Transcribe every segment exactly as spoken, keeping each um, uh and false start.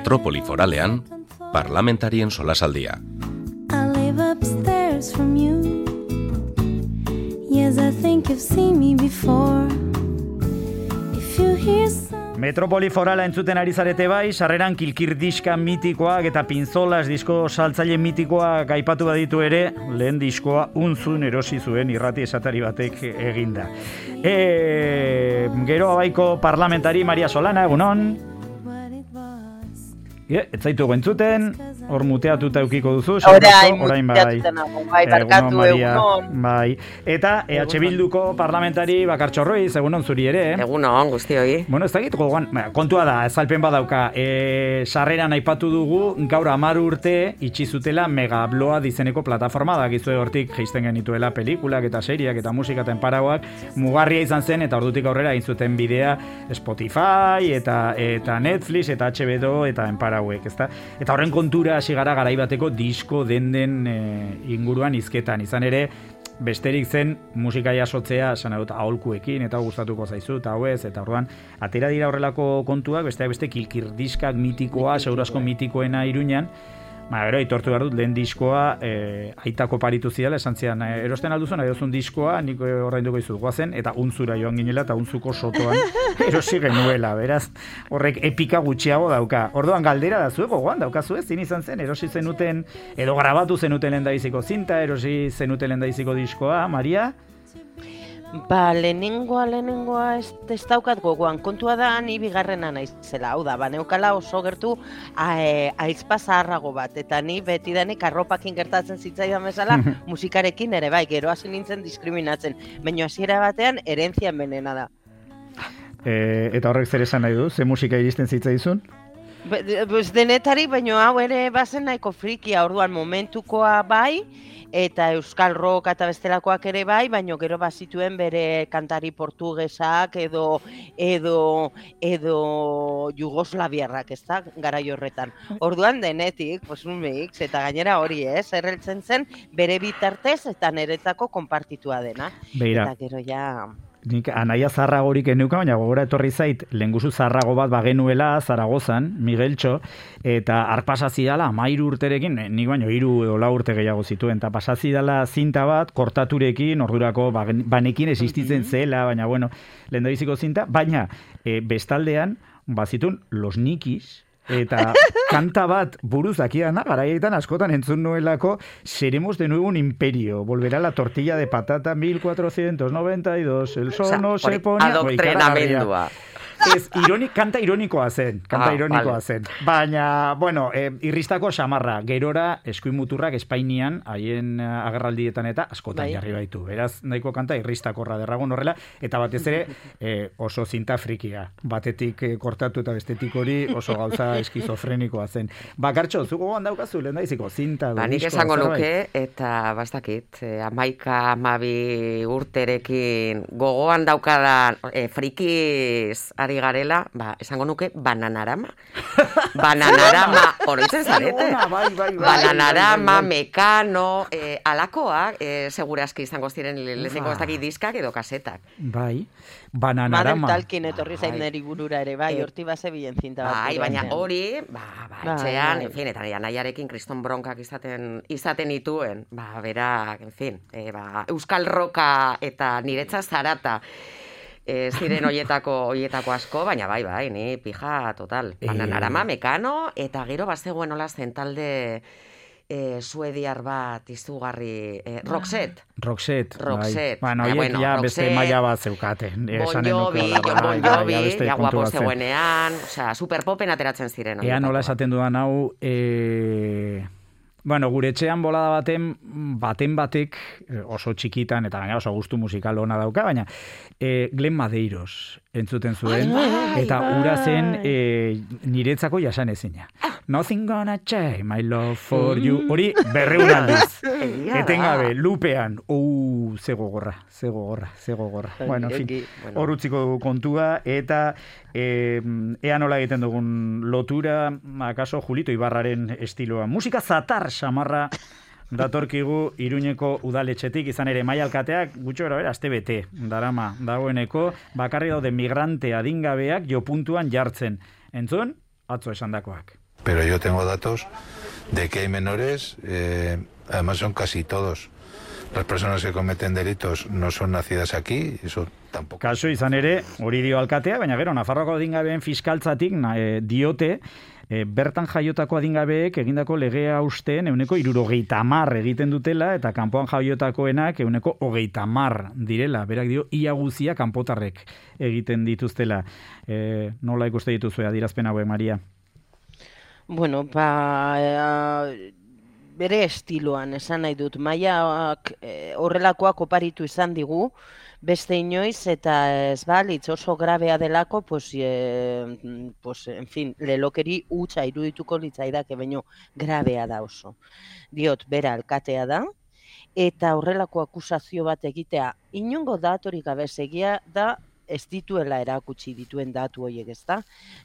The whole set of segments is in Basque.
Metropoli foralean, parlamentarien solasaldia. Metropoli forala entzuten ari zarete bai, sarreran kilkir diska mitikoak eta pinzolas disko saltzaile mitikoak aipatu baditu ere, lehen diskoa unzun erosi zuen irrati esatari batek eginda. E, gero abaiko parlamentari Maria Solana, egunon. E, ez zaitu entzuten, hor muteatuta eukiko duzu. Orain, muteatuta nago, bai, barkatu egunon. Bai, eta E H Bilduko parlamentari Bakartxo Ruiz, egunon zuri ere. Egunon, guztioi. Bueno, ez dakit, gogoan, kontua da, ezalpen badauka, e, sarreran aipatu dugu, gaur hamar urte itxi zutela Megabloa dizeneko plataforma, da gizue hortik geisten genituela pelikulak eta seriak eta musika eta enparauak, mugarria izan zen, eta ordutik aurrera egin zuten bidea Spotify, eta, eta Netflix, eta H B O, eta enparauak. Hauek, ezta? Eta horren kontura hasi gara garaibateko disko den-den e, inguruan hizketan. Izan ere, besterik zen musika jasotzea, esan dut, aholkuekin, eta gustatuko zaizu, eta hau ez, eta orduan, atera dira horrelako kontuak, besteak beste kilkir diskak mitikoa, segurazko mitikoena Iruñan. Ba, gero, aitortu behar dut, lehen diskoa e, aitako paritu zidala, esan zidan, e, erosten alduzun, aiozun diskoa, nik horrein dugu izut guazen, eta unzura joan ginela, eta unzuko sotoan erosi genuela, beraz, horrek epika gutxiago dauka. Orduan galdera da zueko, goan daukazu ez, zin izan zen, erosi zenuten, edo grabatu zenuten lendabiziko zinta, erosi zenuten lendabiziko diskoa, Maria? Ba, lehenengoa, lehenengoa ez, ez daukat gogoan. Kontua da, ni bigarrena naizela. Hau da, ba, neukala oso gertu aizpa zaharrago bat. Eta ni betidanik arropakin gertatzen zitzaidan bezala, musikarekin ere bai, gero hasi nintzen diskriminatzen. Baina hasiera batean, herentzian benena da. E, eta horrek zer esan nahi du? Ze musika iristen zitzaizun? Pues denetari, baina hau ere bazen nahiko frikia, orduan momentukoa bai, eta euskal rock eta bestelakoak ere bai, baina gero bazituen bere kantari portugesak edo edo edo jugoslaviarrak, ez da, garai horretan. Orduan denetik, pues un mix, eta gainera hori ez, erreltzen zen bere bitartez eta niretzako konpartitua dena. Beira. Eta gero ja... Nik anaia zarragorik eneuka, baina gogora etorri zait, lehenguzu zarrago bat bagenuela Zaragozan, Migueltxo, eta arpasazidala amairu urterekin, nik baino hiru edo lau urte gehiago zituen, eta pasazidala zinta bat, kortaturekin, ordurako banekin existitzen zela, baina bueno, lehendabiziko zinta, baina e, bestaldean, bazitun, Los Nikis, eta kanta bat buruz akiana, garaietan askotan entzun nuelako, seremos de nuevo un imperio, volverá la tortilla de patata mil cuatrocientos noventa y dos, el sol no se pone... Adoktrenamendua. Ez, ironik, kanta ironikoa zen, kanta ah, ironikoa vale. zen. Baina, bueno, e, irristako xamarra, gerora eskuin muturrak Espainian, haien agerraldietan eta askotan bai. jarri baitu. Beraz, nahiko kanta irristakorra derragun horrela, eta batez ere e, oso zinta frikia. Batetik e, kortatu eta bestetik hori oso gauza eskizofrenikoa zen. Bakartxo, zuko gogan daukazu, lehen daiziko, zinta. Ba, nik esango nuke, eta bastakit, e, amaika, amabi urterekin gogoan daukadan e, frikiz ari garela, ba, esango nuke Bananarama. Bananarama, oroitzen zarete. Bai, bai, bai, Bananarama, Mekano, eh, alakoak, eh, segurazki izango ziren lehenengo ez dakit diskak edo kasetak. Bai, Bananarama. Madel Talkin etorri zain neri burura ere, bai, horti base bilen zinta bat. Bai, baina hori, ba, ba, etxean, en fin, eta anaiarekin kriston bronkak izaten, izaten ituen, ba, berak, en fin, eh, ba, euskal roka eta niretza zarata, E, ziren hoietako hoietako asko, baina bai, bai, ni pija total. Bananarama, Mekano, eta gero bazegoen hola zen talde e, suediar bat izugarri, e, Roxette. Roxette, Roxette. Bai. Bueno, horiek ja beste maila bat zeukaten. Bon Jovi, Bon Jovi, ja guapo zegoenean, osea, superpopen ateratzen ziren. Ea nola esaten dudan hau, e... Bueno, gure etxean bolada baten, baten batek, oso txikitan, eta gaina oso gustu musikal ona dauka, baina e, Glen Madeiros entzuten zuen, eta ura zen e, niretzako jasanezina. Nothing gonna change my love for you. Hori berreun aldiz. Etengabe, lupean. Uh, Uh, ze gogorra, ze gogorra, ze gogorra. Ai, Bueno, en fin, eki, bueno. hor utziko dugu kontua, eta e, ea nola egiten dugun lotura, akaso Julito Ibarraren estiloa. Musika zatar samarra datorkigu Iruñeko udaletxetik, izan ere Maia alkateak gutxo gara bera, aste bete darama dagoeneko, bakarri daude migrante adingabeak jo puntuan jartzen. Entzun, atzo esandakoak. Pero yo tengo datos de que hay menores, eh, además son casi todos. Las personas que cometen delitos no son nacidas aquí, eso tampoco. Kaso izan ere, hori dio alkatea, baina gero, Nafarroako adingabeen fiskaltzatik na, e, diote, e, bertan jaiotako adingabeek egindako legea usteen euneko irurogeita mar egiten dutela, eta kanpoan jaiotakoenak euneko hogeita mar direla. Berak dio, ia guzia kanpotarrek egiten dituztela. E, nola ikuste dituzue adierazpen hauek, Maria? Bueno, ba, e, bere estiloan esan nahi dut. Maiak e, horrelakoak oparitu izan digu, beste inoiz, eta ez balitz oso grabea delako, pues, e, pues, en fin, lelokeri hutsa irudituko litzaidake, baino grabea da oso. Diot, bera alkatea da, eta horrelako akusazio bat egitea, inongo datorik gabe egia da, ez dituela erakutsi dituen datu horiek, ezta?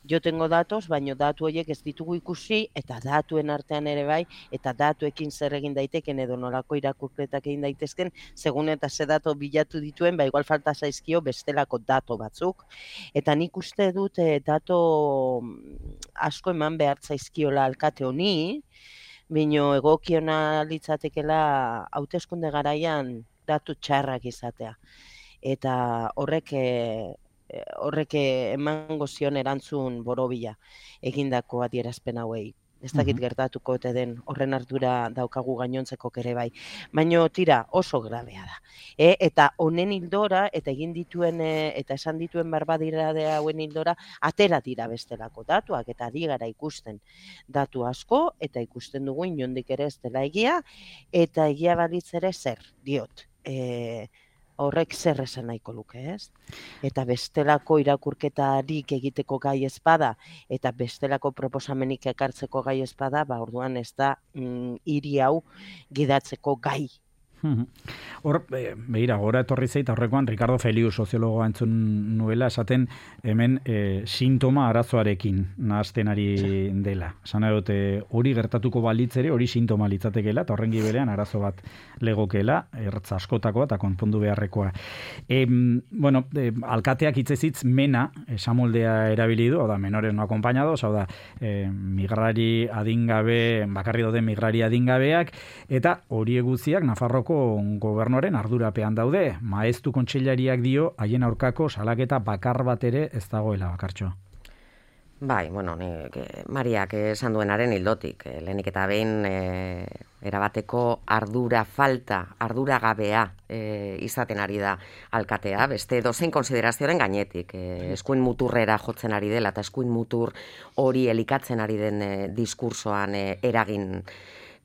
Jo tengo datos, baino datu horiek ez ditugu ikusi, eta datuen artean ere bai, eta datuekin zer egin daiteken edo nolako irakurketak egin daitezken, segun eta ze dato bilatu dituen, ba igual falta zaizkio bestelako dato batzuk. Eta nik uste dut eh, dato asko eman behar zaizkiola alkate honi, baino egokiona litzatekela hauteskunde garaian datu txarrak izatea. Eta horrek horrek emango zion erantzun borobila egindako adierazpen hauei. Ez dakit gertatuko ote den horren ardura daukagu gainontzeko ere bai. Baina tira oso grabea da. E, eta honen hildora, eta egin dituen, e, eta esan dituen barbadirade hauen hildora, atera dira bestelako datuak, eta ari gara ikusten datu asko, eta ikusten dugu inondik ere ez dela egia, eta egia balitz ere zer, diot. E, horrek zer esan nahiko luke, ez? Eta bestelako irakurketarik egiteko gai ez bada, eta bestelako proposamenik ekartzeko gai ez bada, ba orduan ez da mm, hiri hau gidatzeko gai. Hor, e, behira, gora etorri zait, aurrekoan Ricardo Feliu soziologoa entzun nuela, esaten hemen e, sintoma arazoarekin nahazten ari dela. Esan dute hori gertatuko balitzere, hori sintoma litzatekeela, eta horren gibelean arazo bat legokela, ertz askotakoa eta konpondu beharrekoa. E, bueno, e, alkateak hitzezitz mena, esamoldea erabili du, hau da, menores no acompañados, hau da, e, migrari adingabe, bakarri dauden migrari adingabeak, eta hori eguziak Nafarroko gobernuaren ardurapean daude. Maeztu kontseilariak dio haien aurkako salaketa bakar bat ere ez dagoela, Bakartxo. Bai, bueno, nik, Mariak esan duenaren hildotik, lehenik eta behin e, erabateko ardura falta, ardura gabea e, izaten ari da alkatea, beste dozein konsiderazioaren gainetik, e, eskuin muturrera jotzen ari dela, eta eskuin mutur hori elikatzen ari den e, diskursoan e, eragin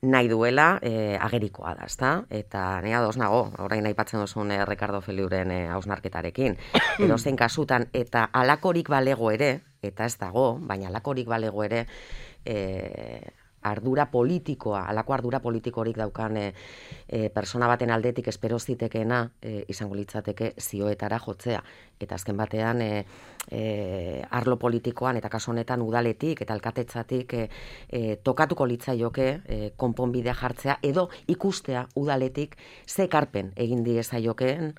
nahi duela, eh, agerikoa da, ezta? Eta nea ados nago, orain aipatzen duzun eh, Ricardo Feliuren eh, hausnarketarekin. Edozein kasutan, eta alakorik balego ere, eta ez dago, baina alakorik balego ere, eh, ardura politikoa, alako ardura politikorik daukan e, e, persona baten aldetik espero zitekeena e, izango litzateke zioetara jotzea. Eta azken batean e, e, arlo politikoan eta kasu honetan udaletik eta alkatetzatik e, e, tokatuko litzaioke e, konponbidea jartzea edo ikustea udaletik ze ekarpen egin diezaiokeen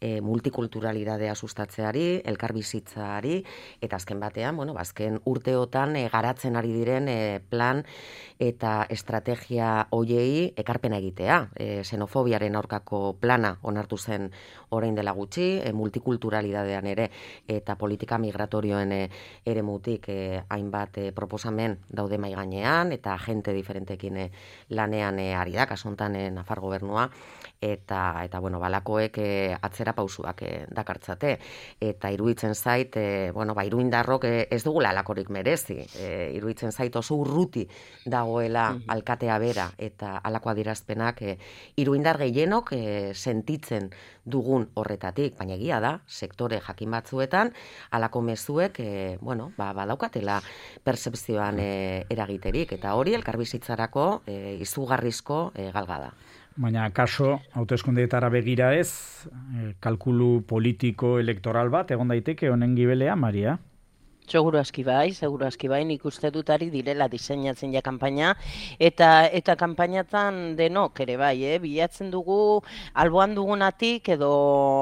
E, multikulturalidadea sustatzeari, elkarbizitzari, eta azken batean, bueno, azken urteotan e, garatzen ari diren e, plan eta estrategia hoiei ekarpena egitea. E, xenofobiaren aurkako plana onartu zen orain dela gutxi, e, multikulturalidadean ere, eta politika migratorioen e, ere mutik e, hainbat e, proposamen daude mai gainean, eta agente diferentekin e, lanean e, ari da, kasuntan e, Nafar gobernua, eta, eta bueno, balakoek e, atzera pausuak eh, dakartzate. Eta iruditzen zait, eh, bueno, ba, iruindarrok eh, ez dugula alakorik merezi. Eh, iruditzen zait oso urruti dagoela mm-hmm. alkatea bera eta alako adierazpenak eh, iruindar gehienok eh, sentitzen dugun horretatik. Baina egia da, sektore jakin batzuetan, alako mezuek, eh, bueno, ba, badaukatela percepzioan eh, eragiterik. Eta hori elkarbizitzarako eh, izugarrizko eh, galgada. Baina kaso, hauteskundeetara begira ez, kalkulu politiko elektoral bat, egon daiteke honen gibelea, Maria? Seguru aski bai, seguru aski bai, nik uste dut ari direla diseinatzen ja kanpaina, eta eta kanpainatan denok ere bai, eh? Bilatzen dugu alboan dugunatik edo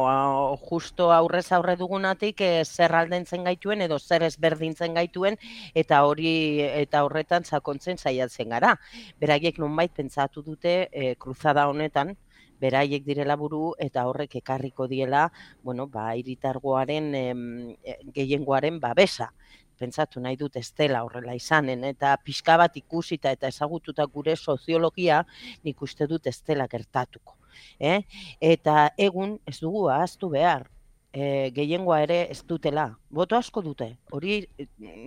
uh, justo aurrez aurre dugunatik eh, zer aldentzen gaituen edo zer ezberdintzen gaituen eta hori eta horretan sakontzen saiatzen gara. Beraiek nonbait pentsatu dute eh, kruzada honetan, beraiek direla buru eta horrek ekarriko diela, bueno, ba, hiritargoaren em, gehiengoaren babesa. Pentsatu nahi dut ez dela horrela izanen, eta pixka bat ikusita eta ezagututa gure soziologia, nik uste dut ez dela gertatuko. Eh? Eta egun ez dugu ahaztu behar, e, gehiengoa ere ez dutela. Boto asko dute, hori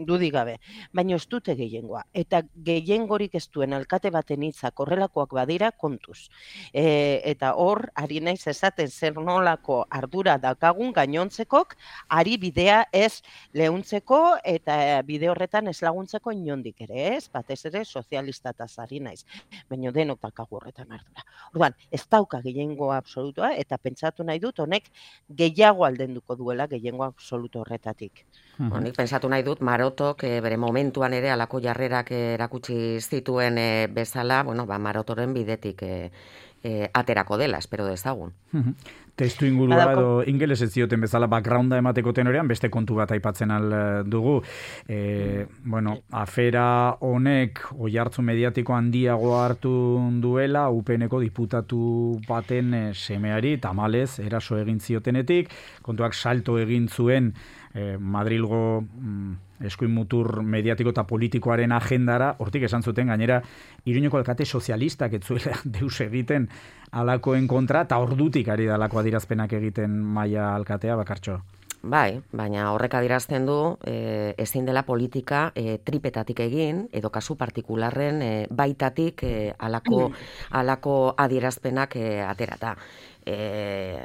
dudik gabe, baina ez dute gehiengoa. Eta gehiengorik ez duen alkate baten hitzak horrelakoak badira kontuz. E, eta hor, ari naiz esaten zer nolako ardura daukagun gainontzekok, ari bidea ez leuntzeko eta bide horretan ez laguntzeko inondik ere, ez? Batez ere sozialistataz ari naiz, baina denok daukagu horretan ardura. Orduan, ez dauka gehiengoa absolutoa eta pentsatu nahi dut honek gehiago aldenduko duela gehiengo absoluto horretan. Bueno, nik pensatu nahi dut Marotok e, bere momentuan ere alako jarrerak erakutsi zituen e, bezala, bueno, ba, Marotoren bidetik e, e, aterako dela, espero dezagun. Testu ingurua edo ingeles ez zioten bezala backgrounda emateko tenorean beste kontu bat aipatzen al dugu. E, bueno, afera honek oihartzu mediatiko handiago hartu duela U P N-ko diputatu baten e, semeari tamalez eraso egin ziotenetik, kontuak salto egin zuen Eh, Madrilgo mm, eskuin mutur mediatiko eta politikoaren agendara, hortik esan zuten gainera Iruñeko alkate sozialistak ez zuela deus egiten alakoen kontra, eta ordutik ari da alako adirazpenak egiten Maia alkatea, Bakartxo. Bai, baina horrek adierazten du e, ezin dela politika e, tripetatik egin, edo kasu partikularren e, baitatik e, alako, alako adierazpenak e, aterata. E,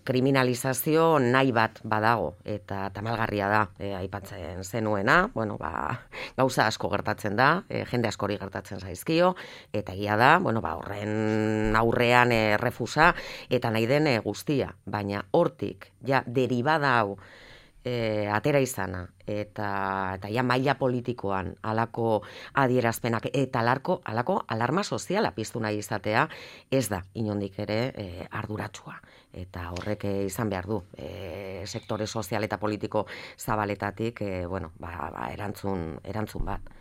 kriminalizazio nahi bat badago eta tamalgarria da e, aipatzen zenuena, bueno, ba, gauza asko gertatzen da, e, jende askori gertatzen zaizkio, eta egia da, bueno, ba, horren aurrean e, refusa eta nahi den e, guztia, baina hortik ja deribada hau E, atera izana eta, eta ja maila politikoan alako adierazpenak eta alarko, alako alarma soziala piztu nahi izatea ez da inondik ere e, arduratsua eta horrek e, izan behar du e, sektore sozial eta politiko zabaletatik e, bueno, ba, ba, erantzun, erantzun bat.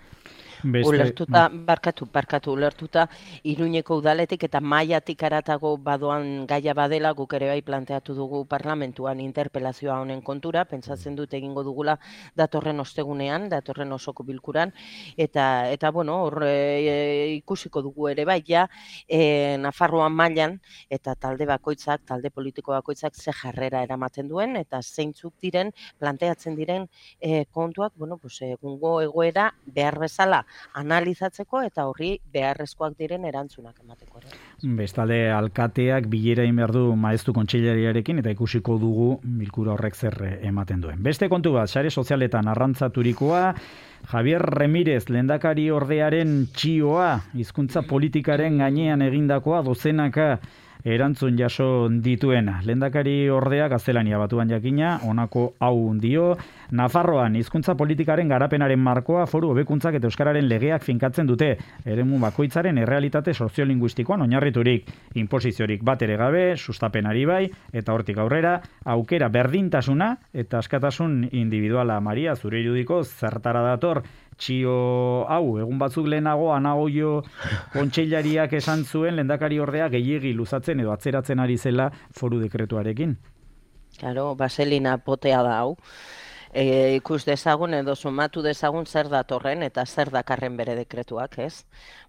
Beste... Ulertuta, barkatu, barkatu, ulertuta, Iruñeko udaletik eta maiatik aratago badoan gaia badela, guk ere bai planteatu dugu parlamentuan interpelazioa honen kontura, pentsatzen dut egingo dugula datorren ostegunean, datorren osoko bilkuran, eta, eta bueno, hor e, ikusiko dugu ere bai, ja, e, Nafarroan mailan, eta talde bakoitzak, talde politiko bakoitzak ze jarrera eramaten duen, eta zeintzuk diren, planteatzen diren e, kontuak, bueno, pues, egungo egoera behar bezala analizatzeko eta horri beharrezkoak diren erantzunak emateko. Bestalde, alkateak bilera egin behar du maeztu kontseilariarekin eta ikusiko dugu bilkura horrek zer ematen duen. Beste kontu bat, sare sozialetan arrantzaturikoa, Javier Remírez lehendakari ordearen txioa, hizkuntza politikaren gainean egindakoa dozenaka erantzun jaso dituena. Lehendakari ordea gaztelania batuan jakina, honako hau dio, Nafarroan hizkuntza politikaren garapenaren markoa foru hobekuntzak eta euskararen legeak finkatzen dute, eremu bakoitzaren errealitate soziolinguistikoan oinarriturik, inposiziorik bat ere gabe, sustapenari bai, eta hortik aurrera, aukera berdintasuna eta askatasun individuala. Maria, zure irudiko zertara dator txio hau, egun batzuk lehenago Anagoio kontseilariak esan zuen lehendakari ordea gehiegi luzatzen edo atzeratzen ari zela foru dekretuarekin. Claro, baselina potea da hau. E, ikus dezagun edo sumatu dezagun zer datorren eta zer dakarren bere dekretuak, ez?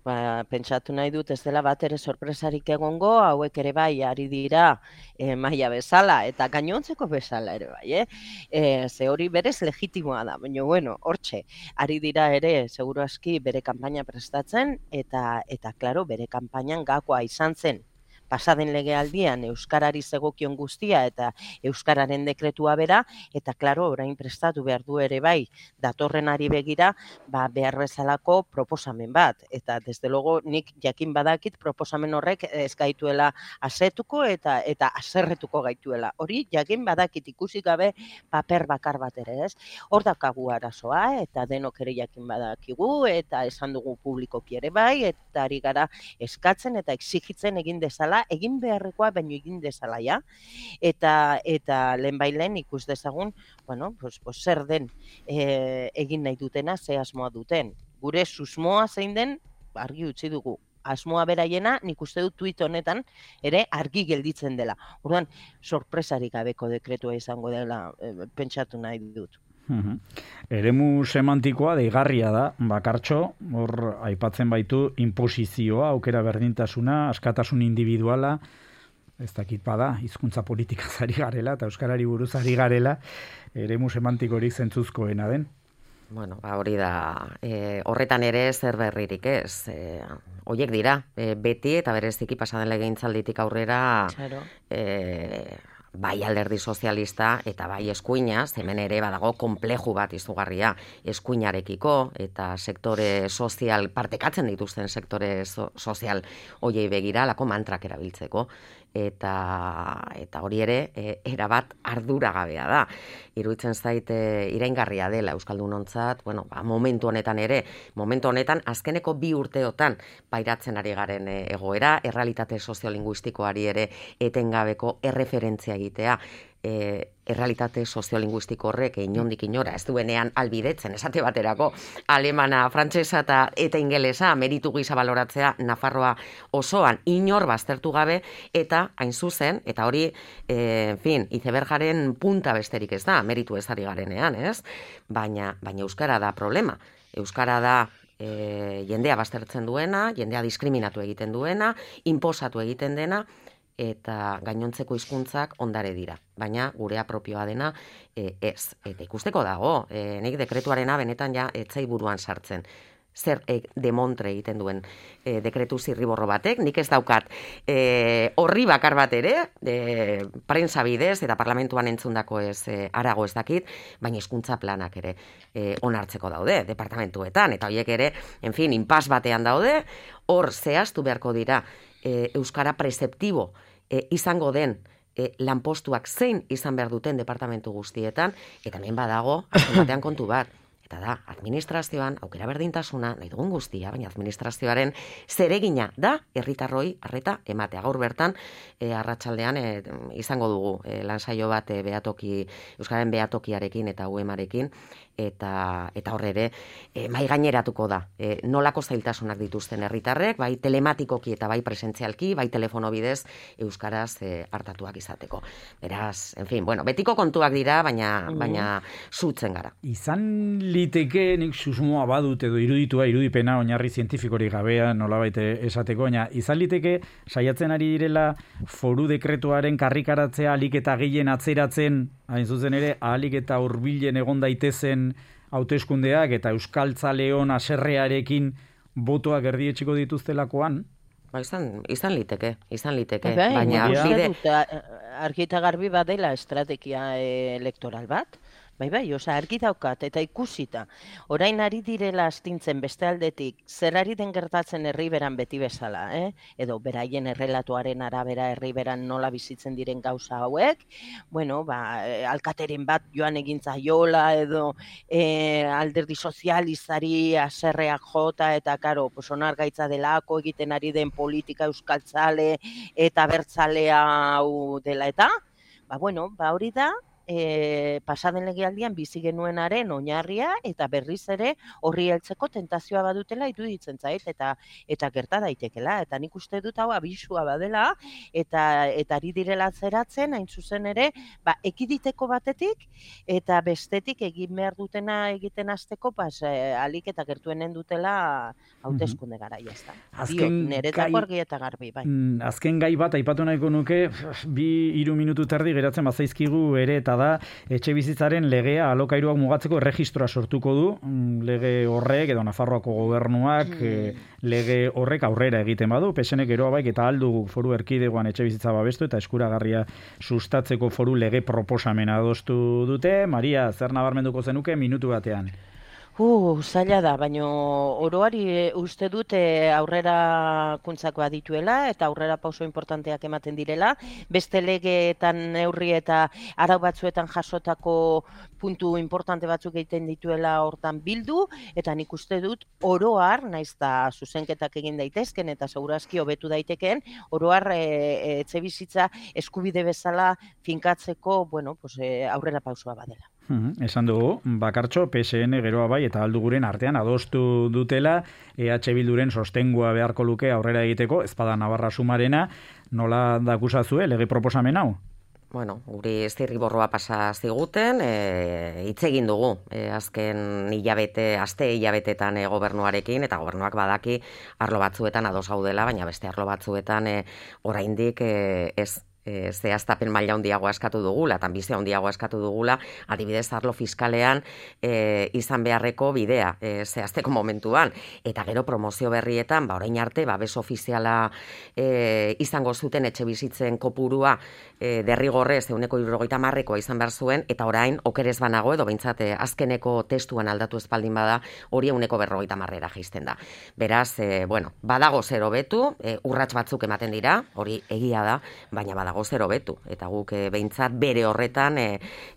Ba, pentsatu nahi dut ez dela bat ere sorpresarik egongo, hauek ere bai ari dira e, maila bezala eta gainontzeko bezala ere bai, eh? E, ze hori berez legitimoa da, baina bueno, hortxe, ari dira ere seguru aski bere kanpaina prestatzen eta, eta klaro, bere kanpainan gakoa izan zen pasaden legealdian euskarari zegokion guztia eta euskararen dekretua bera, eta klaro, orain prestatu behar du ere bai, datorrenari begira, ba, behar bezalako proposamen bat, eta desde logo nik jakin badakit proposamen horrek ez gaituela asetuko eta eta aserretuko gaituela. Hori jakin badakit ikusi gabe paper bakar bat ere, ez? Hor daukagu arazoa eta denok ere jakin badakigu eta esan dugu publikoki ere bai, eta ari gara eskatzen eta exigitzen egin dezala, egin beharrekoa baino egin dezala ja. Eta eta lehenbailen ikus dezagun, bueno, pues, pues zer den e, egin nahi dutena, ze asmoa duten. Gure susmoa zein den argi utzi dugu. Asmoa beraiena, nik uste dut tuit honetan ere argi gelditzen dela. Orduan, sorpresarik gabeko dekretua izango dela e, pentsatu nahi dut. Uhum. Eremu semantikoa deigarria da, bakartxo, hor aipatzen baitu inposizioa, aukera berdintasuna, askatasun individuala, ez dakit bada, hizkuntza politikaz ari garela, eta euskarari buruz ari garela, eremu semantikorik zentzuzkoena den. Bueno, ba, hori da, e, horretan ere zer berririk ez, e, horiek dira, e, beti eta bereziki pasaden legegintzalditik aurrera, claro. e, bai alderdi sozialista eta bai eskuinaz, hemen ere badago konpleju bat izugarria eskuinarekiko eta sektore sozial, partekatzen dituzten sektore so, sozial hoiei begira, lako mantrak erabiltzeko. Eta, eta hori ere, e, erabat arduragabea da. Iruditzen zait e, iraingarria dela Euskaldunontzat, bueno, ba, momentu honetan ere, momentu honetan azkeneko bi urteotan pairatzen ari garen e, egoera, errealitate soziolinguistikoari ere etengabeko erreferentzia egitea, e, errealitate soziolinguistiko horrek inondik inora ez duenean albidetzen, esate baterako alemana, frantsesa eta eta ingelesa meritu gisa baloratzea Nafarroa osoan inor baztertu gabe, eta hain zuzen, eta hori, e, en fin, izebergaren punta besterik ez da, meritu ez ari garenean, ez? Baina, baina euskara da problema. Euskara da e, jendea baztertzen duena, jendea diskriminatu egiten duena, inposatu egiten dena, eta gainontzeko hizkuntzak ondare dira. Baina gurea propioa dena e, ez. Eta ikusteko dago, e, nik dekretuarena benetan ja etzai buruan sartzen. Zer e, demontre egiten duen e, dekretu zirriborro batek, nik ez daukat e, horri bakar bat ere, e, prensa bidez eta parlamentuan entzundako ez e, arago ez dakit, baina hizkuntza planak ere e, onartzeko daude, departamentuetan, eta horiek ere, en fin, inpas batean daude, hor zehaztu beharko dira e, euskara prezeptibo e, izango den e, lanpostuak zein izan behar duten departamentu guztietan, eta hemen badago, azken batean kontu bat, eta da, administrazioan, aukera berdintasuna, nahi dugun guztia, baina administrazioaren zeregina da, herritarroi arreta ematea. Gaur bertan, e, arratsaldean e, izango dugu e, lansaio bat e, behatoki, Euskaren behatokiarekin eta U E M-arekin, eta eta hor ere e, mai gaineratuko da. E, nolako zailtasunak dituzten herritarrek, bai telematikoki eta bai presentzialki, bai telefono bidez euskaraz e, hartatuak izateko. Beraz, en fin, bueno, betiko kontuak dira, baina mm. baina zutzen gara. Izan liteke nik susmoa badut edo iruditua irudipena oinarri zientifikorik gabea nolabait esateko, baina izan liteke saiatzen ari direla foru dekretuaren karrikaratzea ahalik eta gehien atzeratzen, hain zuzen ere ahalik eta hurbilen egon daitezen hauteskundeak eta euskaltzaleon haserrearekin botoak erdietsiko dituztelakoan? Ba, izan, izan liteke, izan liteke, Bai, baina bide... Argi eta garbi badela estrategia elektoral bat, bai, bai, oza, argi daukat, eta ikusita. Orain ari direla astintzen beste aldetik, zer ari den gertatzen herriberan beti bezala, eh? Edo beraien errelatuaren arabera herriberan nola bizitzen diren gauza hauek, bueno, ba, alkateren bat joan egintza jola, edo eh, alderdi sozializari aserreak jota, eta karo, pues, onargaitza delako egiten ari den politika euskaltzale eta bertzalea hau dela eta, ba, bueno, ba, hori da, E, pasaden legealdian bizi genuenaren oinarria eta berriz ere horri heltzeko tentazioa badutela iruditzen zait eta eta gerta daitekela, eta nik uste dut hau abisua badela eta eta ari direla zeratzen hain zuzen ere, ba, ekiditeko batetik eta bestetik egin behar dutena egiten hasteko pas eh, alik eta gertuenen dutela hauteskunde garaia, ezta. Azken niretako argi eta garbi, bai. Azken gai bat aipatu nahiko nuke, bi hiru minutu terdi geratzen bazaizkigu ere eta da etxe bizitzaren legea alokairuak mugatzeko erregistroa sortuko du, lege horrek edo Nafarroako gobernuak mm. lege horrek aurrera egiten badu, pesenek eroa baik eta aldu foru erkidegoan etxe bizitza babestu eta eskuragarria sustatzeko foru lege proposamena adostu dute. Maria, zer nabarmenduko zenuke minutu batean? Uh, zaila da, baina oroari uste dute aurrera kuntzakoa dituela eta aurrera pauso importanteak ematen direla. Beste legeetan neurri eta arau batzuetan jasotako puntu importante batzuk egiten dituela hortan bildu, eta nik uste dut oroar, naiz da zuzenketak egin daitezken eta segurazki hobetu daitekeen, oroar e, e, etxe bizitza eskubide bezala finkatzeko, bueno, pues, e, aurrera pausoa badela. Hmm, esan dugu, bakartxo, P S N geroa bai eta alduguren artean adostu dutela, E H Bilduren sostengua beharko luke aurrera egiteko, ezpada Navarra sumarena, nola dakusazue lege proposamen hau? Bueno, guri zirriborroa pasa ziguten, e, hitz egin dugu, e, azken hilabete, aste hilabetetan e, gobernuarekin, eta gobernuak badaki arlo batzuetan ados gaudela, baina beste arlo batzuetan e, oraindik e, ez E, zehaztapen maila handiagoa eskatu dugula, eta ambizio handiagoa eskatu dugula, adibidez arlo fiskalean e, izan beharreko bidea e, zehazteko momentuan, eta gero promozio berrietan, ba orain arte, babes ofiziala e, izango zuten etxe bizitzen kopurua e, derrigorrez ehuneko hirurogeita hamarrekoa izan behar zuen, eta orain okerez banago edo behintzat azkeneko testuan aldatu espaldin bada, hori ehuneko berrogeita hamarrera jaisten da. Beraz, e, bueno, badago zer hobetu, e, urrats batzuk ematen dira, hori egia da, baina badago zer hobetu, eta guk e, behintzat bere horretan e,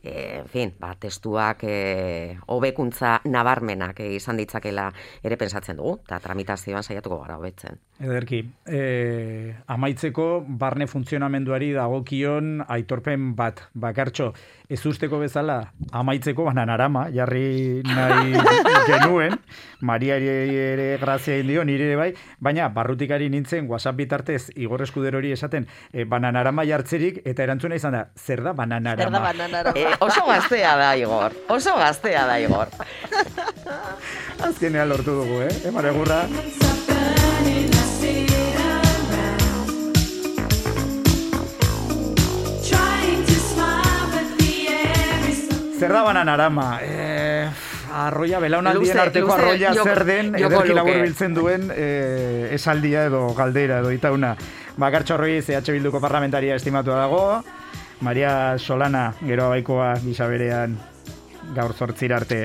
e, en fin, ba, testuak e, hobekuntza nabarmenak e, izan ditzakela ere pensatzen dugu, eta tramitazioan saiatuko gara hobetzen. Ederki, e, amaitzeko barne funtzionamenduari dagokion aitorpen bat, bakartxo, ez usteko bezala amaitzeko bananarama, jarri nahi genuen, Mariari ere grazia indio, nire ere bai, baina barrutikari nintzen WhatsApp bitartez Igor Eskuderori esaten e, bananarama jartzerik, eta erantzuna izan da, zer da bananarama? Zer da bananarama? E, oso gaztea da, Igor, oso gaztea da, Igor. Azkenean lortu dugu, eh? Emar egurra. Zer da bananarama? Eh, arroia, belaunaldien arteko luze, arroia joko, zer den, ederki labur biltzen duen eh, esaldia edo galdera edo itauna. Bakartxo Ruiz, E H Bilduko parlamentaria estimatu dago, Maria Solana, gero abaikoa gisa berean gaur zortzira arte.